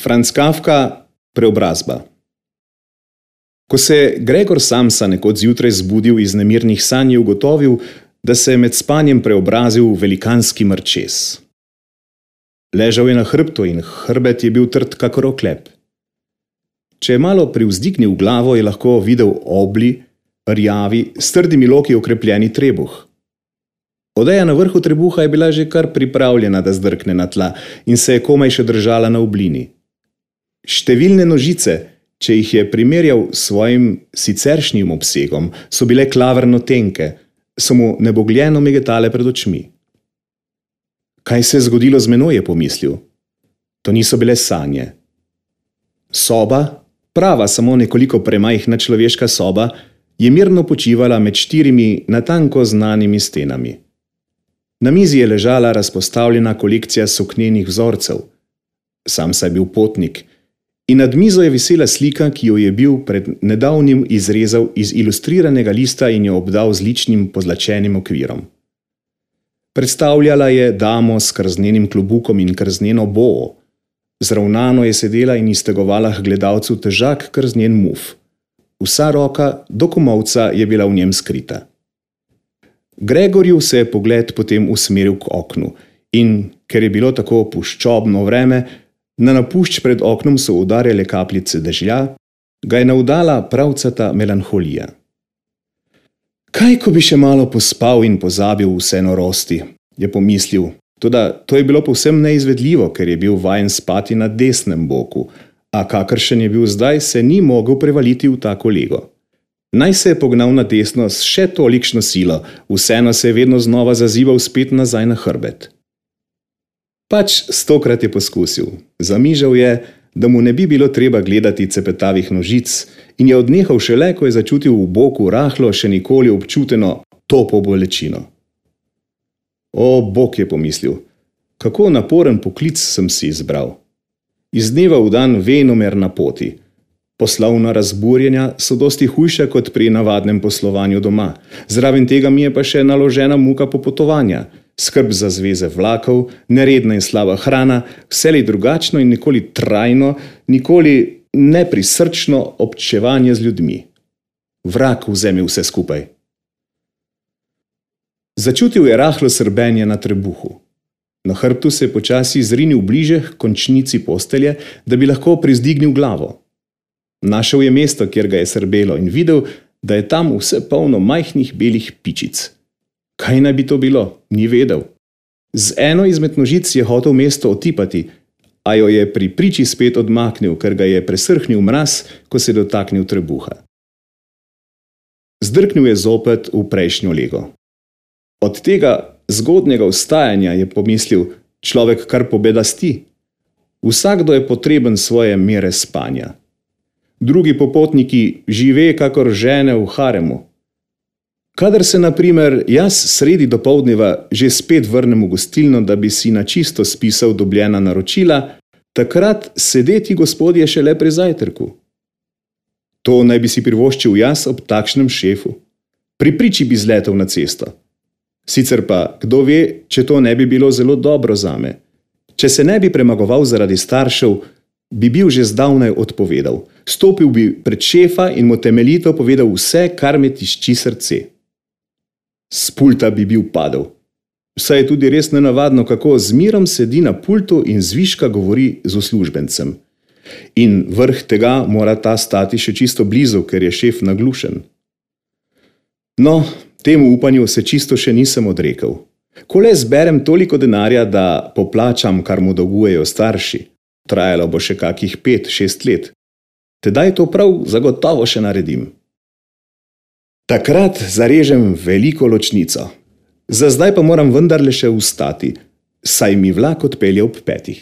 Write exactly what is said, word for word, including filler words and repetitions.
Franz Kafka, Preobrazba. Ko se Gregor Samsa nekoč zjutraj zbudil iz nemirnih sanj, je ugotovil, da se je med spanjem preobrazil v velikanski mrčes. Ležal je na hrbtu in hrbet je bil trd kakor oklep. Če je malo privzdignil glavo, je lahko videl obli, rjavi, s trdimi loki okrepljeni trebuh. Odeja na vrhu trebuha je bila že kar pripravljena, da zdrkne na tla in se je komaj še držala na oblini. Številne nožice, če jih je primerjal s svojim siceršnjim obsegom, so bile klavrno tenke, so mu nebogljeno migetale pred očmi. Kaj se je zgodilo z menoj, je pomislil. To niso bile sanje. Soba, prava samo nekoliko premajhna človeška soba, je mirno počivala med štirimi natanko znanimi stenami. Na mizi je ležala razpostavljena kolekcija suknenih vzorcev. Samsa je bil potnik in nad mizo je visela slika, ki jo je bil pred nedavnim izrezal iz ilustriranega lista in jo obdal z ličnim pozlačenim okvirom. Predstavljala je damo s krznenim klobukom in krzneno boo. Zravnano je sedela in iztegovala k gledalcu težak krznen muf. Vsa roka do komolca je bila v njem skrita. Gregorju se je pogled potem usmeril k oknu in, ker je bilo tako puščobno vreme, na napušč pred oknom so udarjale kapljice dežja, ga je navdala pravcata melanholija. Kaj, ko bi še malo pospal in pozabil vse norosti, je pomislil, toda to je bilo povsem neizvedljivo, ker je bil vajen spati na desnem boku, a kakršen je bil zdaj, se ni mogel prevaliti v tako lego. Naj se je pognal na desno s še tolikšno silo, vseeno se je vedno znova zazival spet nazaj na hrbet. Pač stokrat je poskusil. Zamižal je, da mu ne bi bilo treba gledati cepetavih nožic in je odnehal šele, ko je začutil v boku rahlo še nikoli občuteno topo bolečino. O, Bog, je pomislil, kako naporen poklic sem si izbral. Iz dneva v dan venomer na poti. Poslovna razburjenja so dosti hujša kot pri navadnem poslovanju doma. Zraven tega mi je pa še naložena muka popotovanja, skrb za zveze vlakov, neredna in slaba hrana, vselej drugačno in nikoli trajno, nikoli neprisrčno občevanje z ljudmi. Vrag vzemi vse skupaj. Začutil je rahlo srbenje na trebuhu. Na hrbtu se je počasi zrinil bliže k končnici postelje, da bi lahko privzdignil glavo. Našel je mesto, kjer ga je srbelo in videl, da je tam vse polno majhnih belih pičic. Kaj naj bi to bilo? Ni vedel. Z eno izmed nožic je hotel mesto otipati, a jo je pri priči spet odmaknil, ker ga je presrhnil mraz, ko se je dotaknil trebuha. Zdrknil je zopet v prejšnjo lego. Od tega zgodnjega vstajanja je pomislil, človek kar pobedasti. Vsakdo je potreben svoje mere spanja. Drugi popotniki žive kakor žene v haremu. Kadar se, na primer, jaz sredi dopoldneva že spet vrnem v gostilno, da bi si na čisto spisal dobljena naročila, takrat sedeti gospodje šele pri zajtrku. To naj bi si privoščil jaz ob takšnem šefu. Pri priči bi zletel na cesto. Sicer pa, kdo ve, če to ne bi bilo zelo dobro zame. Če se ne bi premagoval zaradi staršev, bi bil že zdavnaj odpovedal. Stopil bi pred šefa in mu temeljito povedal vse, kar me tišči srce. S pulta bi bil padel. Saj je tudi res nenavadno, kako z mirom sedi na pultu in zviška govori z uslužbencem. In vrh tega mora ta stati še čisto blizu, ker je šef naglušen. No, temu upanju se čisto še nisem odrekel. Ko le zberem toliko denarja, da poplačam, kar mu dolgujejo starši, trajalo bo še kakih pet, šest let. Tedaj to prav zagotovo še naredim. Takrat zarežem veliko ločnico. Za zdaj pa moram vendarle še vstati, saj mi vlak odpelje ob petih.